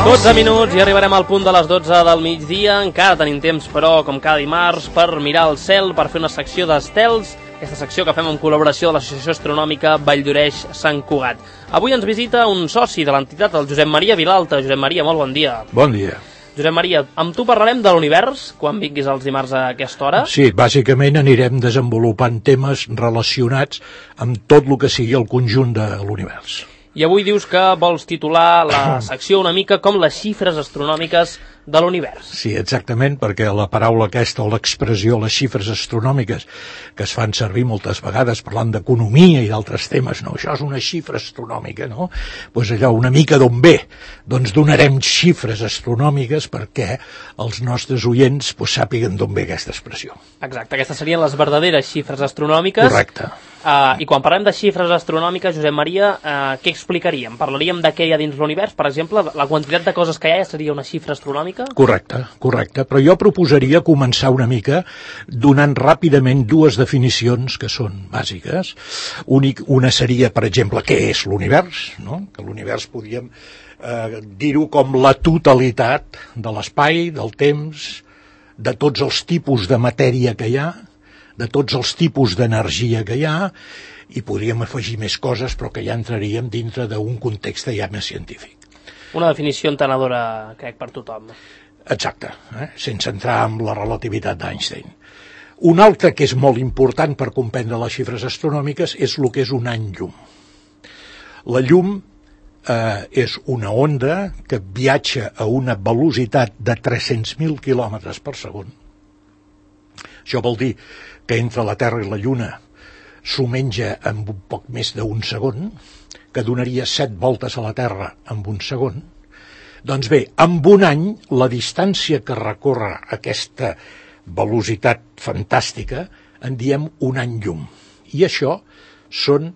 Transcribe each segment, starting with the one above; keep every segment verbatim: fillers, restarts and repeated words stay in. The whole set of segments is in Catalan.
dotze minuts i arribarem al punt de les dotze del migdia. Encara tenim temps, però, com cada dimarts, per mirar el cel, per fer una secció d'estels, aquesta secció que fem en col·laboració de l'Associació Astronòmica Valldoreix-Sant Cugat. Avui ens visita un soci de l'entitat, el Josep Maria Vilalta. Josep Maria, molt bon dia. Bon dia. Josep Maria, amb tu parlarem de l'univers, quan vinguis els dimarts a aquesta hora? Sí, bàsicament anirem desenvolupant temes relacionats amb tot el que sigui el conjunt de l'univers. I avui dius que vols titular la secció una mica com les xifres astronòmiques de l'univers. Sí, exactament, perquè la paraula aquesta o l'expressió, les xifres astronòmiques, que es fan servir moltes vegades parlant d'economia i d'altres temes, no, això és una xifra astronòmica, no? Doncs allò, una mica d'on ve? Doncs donarem xifres astronòmiques perquè els nostres oients pues, sàpiguen d'on ve aquesta expressió. Exacte, aquestes serien les verdaderes xifres astronòmiques. Correcte. Uh, I quan parlem de xifres astronòmiques, Josep Maria, uh, què explicaríem? Parlaríem de què hi ha dins l'univers? Per exemple, la quantitat de coses que hi ha ja seria una xifra astronòmica? Correcte, correcte. Però jo proposaria començar una mica donant ràpidament dues definicions que són bàsiques. Únic, una seria, per exemple, què és l'univers, no? Que l'univers podríem eh, dir-ho com la totalitat de l'espai, del temps, de tots els tipus de matèria que hi ha, de tots els tipus d'energia que hi ha, i podríem afegir més coses, però que ja entraríem dintre d'un context ja més científic. Una definició entenedora, crec, per tothom. Exacte, eh? Sense entrar en la relativitat d'Einstein. Un altre que és molt important per comprendre les xifres astronòmiques és el que és un any llum. La llum eh, és una onda que viatja a una velocitat de tres-cents mil quilòmetres per segon. Això vol dir que entre la Terra i la Lluna s'ho menja en un poc més d'un segon, que donaria set voltes a la Terra en un segon. Doncs bé, en un any, la distància que recorre aquesta velocitat fantàstica en diem un any llum. I això són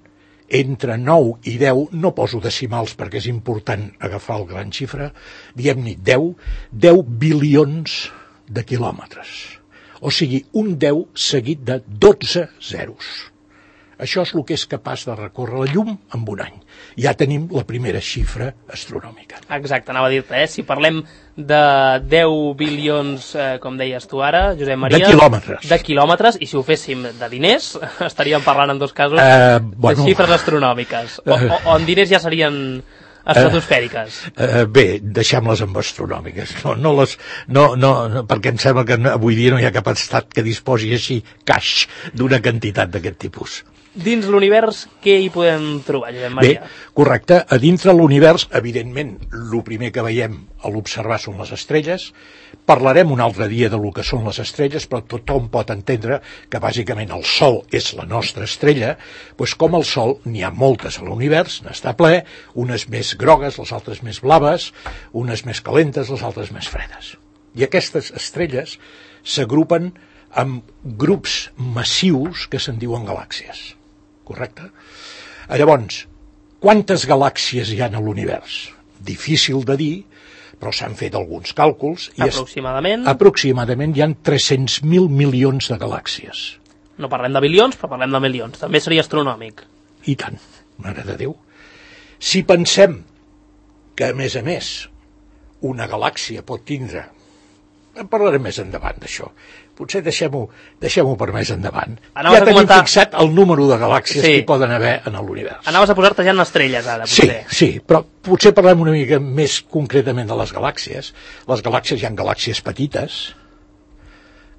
entre nou i deu, no poso decimals perquè és important agafar el gran xifra, diem-ne deu, deu bilions de quilòmetres. O sigui, un deu seguit de dotze zeros. Això és el que és capaç de recórrer la llum en un any. Ja tenim la primera xifra astronòmica. Exacte, anava a dir-te, eh? Si parlem de deu bilions, eh, com deies tu ara, Josep Maria... De quilòmetres. De quilòmetres, i si ho féssim de diners, estaríem parlant en dos casos uh, bueno, de xifres astronòmiques. O, o, o en diners ja serien estratosfèriques. Uh, uh, bé, deixem-les amb astronòmiques. No, no les, no, no, no, perquè em sembla que avui dia no hi ha cap estat que disposi així caix d'una quantitat d'aquest tipus. Dins l'univers, què hi podem trobar, Josep Maria? Bé, correcte. A dintre l'univers, evidentment, el primer que veiem a l'observar són les estrelles. Parlarem un altre dia de lo que són les estrelles, però tothom pot entendre que bàsicament el Sol és la nostra estrella, doncs com el Sol n'hi ha moltes a l'univers, n'està ple, unes més grogues, les altres més blaves, unes més calentes, les altres més fredes. I aquestes estrelles s'agrupen amb grups massius que se'n diuen galàxies. Correcte? Llavors, quantes galàxies hi ha a l'univers? Difícil de dir, però s'han fet alguns càlculs. I aproximadament? És, aproximadament hi ha tres-cents mil milions de galàxies. No parlem de bilions, però parlem de milions. També seria astronòmic. I tant, mare de Déu. Si pensem que, a més a més, una galàxia pot tindre... En parlarem més endavant, d'això. Potser deixem-ho deixem-ho per més endavant. Anaves ja tenim comentar... fixat el número de galàxies sí. que hi poden haver en l'univers. Anaves a posar-te ja en estrelles, ara, potser. Sí, sí, però potser parlem una mica més concretament de les galàxies. Les galàxies, hi ha galàxies petites,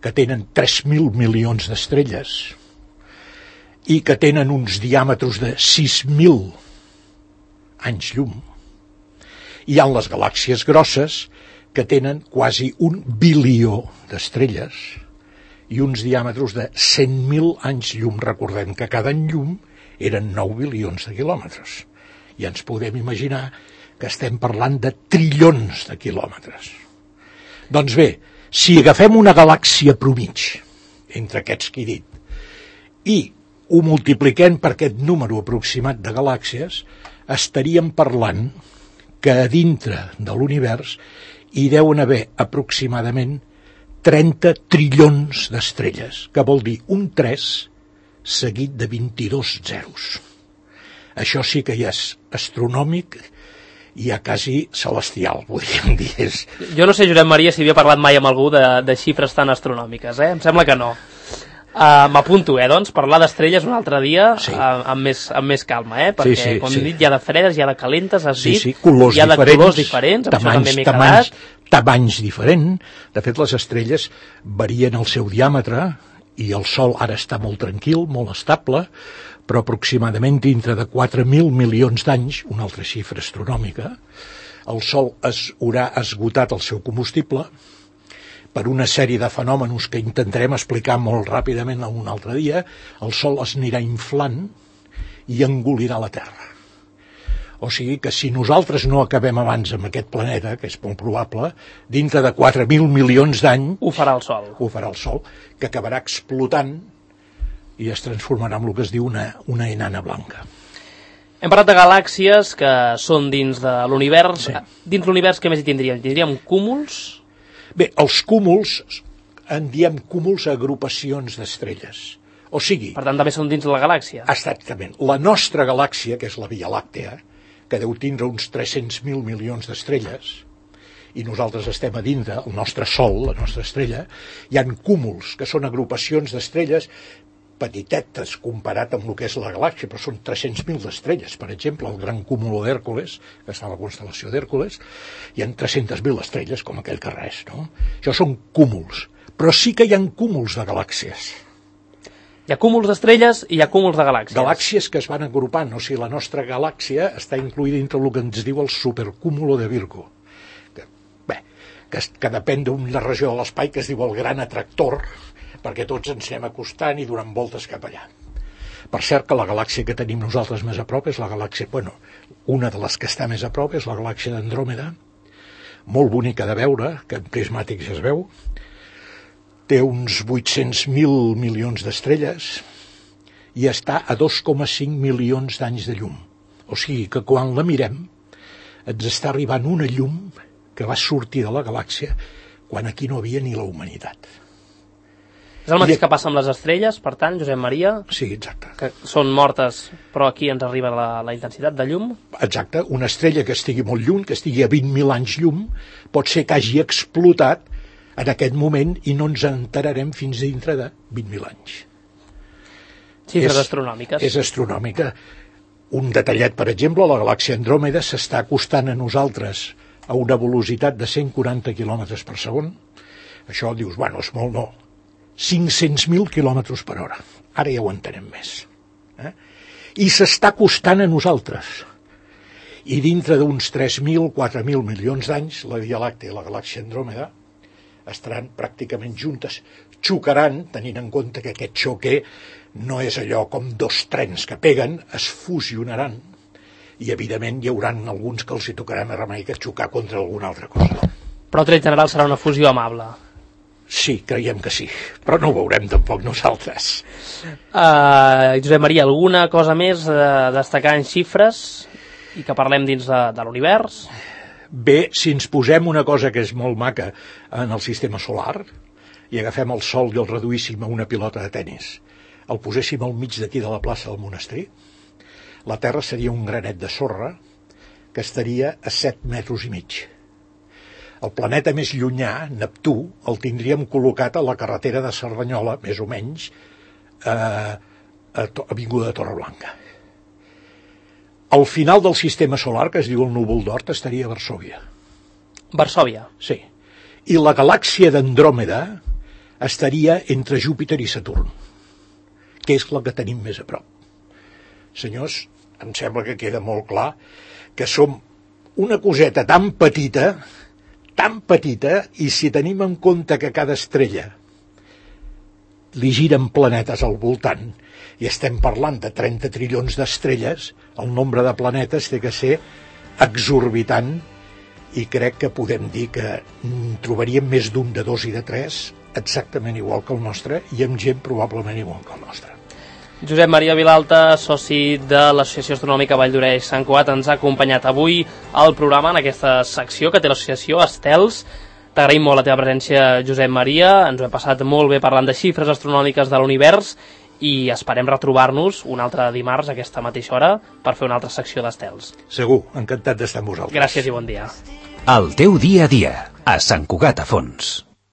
que tenen tres mil milions d'estrelles, i que tenen uns diàmetres de sis mil anys llum. Hi ha les galàxies grosses, que tenen quasi un bilió d'estrelles i uns diàmetres de cent mil anys llum. Recordem que cada any llum eren nou bilions de quilòmetres. I ens podem imaginar que estem parlant de trillons de quilòmetres. Doncs bé, si agafem una galàxia promig, entre aquests que he dit, i ho multipliquem per aquest número aproximat de galàxies, estaríem parlant que a dintre de l'univers hi deuen haver aproximadament trenta trillons d'estrelles, que vol dir un tres seguit de vint-i-dos zeros. Això sí que ja és astronòmic ja quasi celestial, podríem dir. És... Jo no sé, Josep Maria, si havia parlat mai amb algú de, de xifres tan astronòmiques, eh? Em sembla que no. Uh, M'apunto, eh, doncs, parlar d'estrelles un altre dia sí. uh, amb, més, amb més calma, eh? Perquè, sí, sí, com hem sí. dit, hi ha de fredes, hi ha de calentes, has sí, dit, sí, colors hi ha de diferents, colors diferents, amb tamanys, això també m'he tamanys, quedat. Tamanys diferents. De fet, les estrelles varien el seu diàmetre i el Sol ara està molt tranquil, molt estable, però aproximadament dintre de quatre mil milions d'anys, una altra xifra astronòmica, el Sol es haurà esgotat el seu combustible per una sèrie de fenòmenos que intentarem explicar molt ràpidament un altre dia. El Sol es anirà inflant i engolirà la Terra. O sigui que si nosaltres no acabem abans amb aquest planeta, que és molt probable, dintre de quatre mil milions d'anys... Ho farà el Sol. Ho farà el Sol, que acabarà explotant i es transformarà en el que es diu una, una enana blanca. Hem parlat de galàxies que són dins de l'univers. Sí. Dins l'univers què més hi tindríem? Tindríem cúmuls? Bé, els cúmuls, en diem cúmuls a agrupacions d'estrelles. O sigui... Per tant, també són dins de la galàxia. Exactament. La nostra galàxia, que és la Via Làctea, que deu tindre uns tres-cents mil milions d'estrelles, i nosaltres estem a dintre, el nostre Sol, la nostra estrella, hi ha cúmuls, que són agrupacions d'estrelles petitetes comparat amb el que és la galàxia, però són tres-cents mil d'estrelles. Per exemple, el gran cúmulo d'Hèrcules, que està a la constel·lació d'Hèrcules, hi ha tres-cents mil estrelles, com aquell que res, no? Això són cúmuls. Però sí que hi ha cúmuls de galàxies. Hi ha cúmuls d'estrelles i hi ha cúmuls de galàxies. Galàxies que es van agrupant. O sigui, la nostra galàxia està incluïda dintre el que ens diu el supercúmulo de Virgo. Que, bé, que, que depèn d'una regió de l'espai que es diu el gran atractor, perquè tots ens anem acostant i donem voltes cap allà. Per cert que la galàxia que tenim nosaltres més a prop és la galàxia, bueno, una de les que està més a prop és la galàxia d'Andròmeda, molt bonica de veure, que en prismàtics es veu, té uns vuit-cents mil milions d'estrelles i està a dos coma cinc milions d'anys de llum. O sigui que quan la mirem ens està arribant una llum que va sortir de la galàxia quan aquí no havia ni la humanitat. És el mateix I... que passa amb les estrelles, per tant, Josep Maria? Sí, exacte. Que són mortes, però aquí ens arriba la, la intensitat de llum? Exacte. Una estrella que estigui molt lluny, que estigui a vint mil anys llum, pot ser que hagi explotat en aquest moment i no ens enterarem fins dintre de vint mil anys. Xifres és, astronòmiques. És astronòmica. Un detallet, per exemple, la galàxia Andròmeda s'està acostant a nosaltres a una velocitat de cent quaranta quilòmetres per segon. Això dius, bueno, és molt, no. cinc-cents mil quilòmetres per hora. Ara ja ho entenem més. Eh? I s'està acostant a nosaltres. I dintre d'uns tres mil, quatre mil milions d'anys, la Via Làctea i la galàxia Andròmeda estaran pràcticament juntes. Xocaran, tenint en compte que aquest xoque no és allò com dos trens que peguen, es fusionaran i, evidentment, hi haurà alguns que els hi tocarà més remei que xocar contra alguna altra cosa. Però, tret general, serà una fusió amable. Sí, creiem que sí, però no ho veurem tampoc nosaltres. Uh, Josep Maria, alguna cosa més a destacar en xifres i que parlem dins de, de l'univers? Bé, si ens posem una cosa que és molt maca en el sistema solar i agafem el Sol i el reduíssim a una pilota de tennis, el poséssim al mig d'aquí de la plaça del monestir, la Terra seria un granet de sorra que estaria a set metres i mig. El planeta més llunyà, Neptú, el tindríem col·locat a la carretera de Cerdanyola, més o menys, a, a Avinguda de Torreblanca. Al final del sistema solar, que es diu el núvol d'Oort, estaria a Varsòvia. Varsòvia? Sí. I la galàxia d'Andròmeda estaria entre Júpiter i Saturn, que és la que tenim més a prop. Senyors, em sembla que queda molt clar que som una coseta tan petita, tan petita, i si tenim en compte que cada estrella li giren planetes al voltant, i estem parlant de trenta trilions d'estrelles, el nombre de planetes té que ser exorbitant, i crec que podem dir que trobaríem més d'un, de dos i de tres, exactament igual que el nostre, i amb gent probablement igual que el nostre. Josep Maria Vilalta, soci de l'Associació Astronòmica Vall d'Oreix Sant Cugat, ens ha acompanyat avui al programa en aquesta secció que té l'associació Estels. T'agraïm molt la teva presència, Josep Maria, ens ho hem passat molt bé parlant de xifres astronòmiques de l'univers i esperem retrobar-nos un altre dimarts a aquesta mateixa hora per fer una altra secció d'estels. Segur, encantat d'estar amb vosaltres. Gràcies i bon dia. El teu dia a dia, a Sant Cugat a Fons.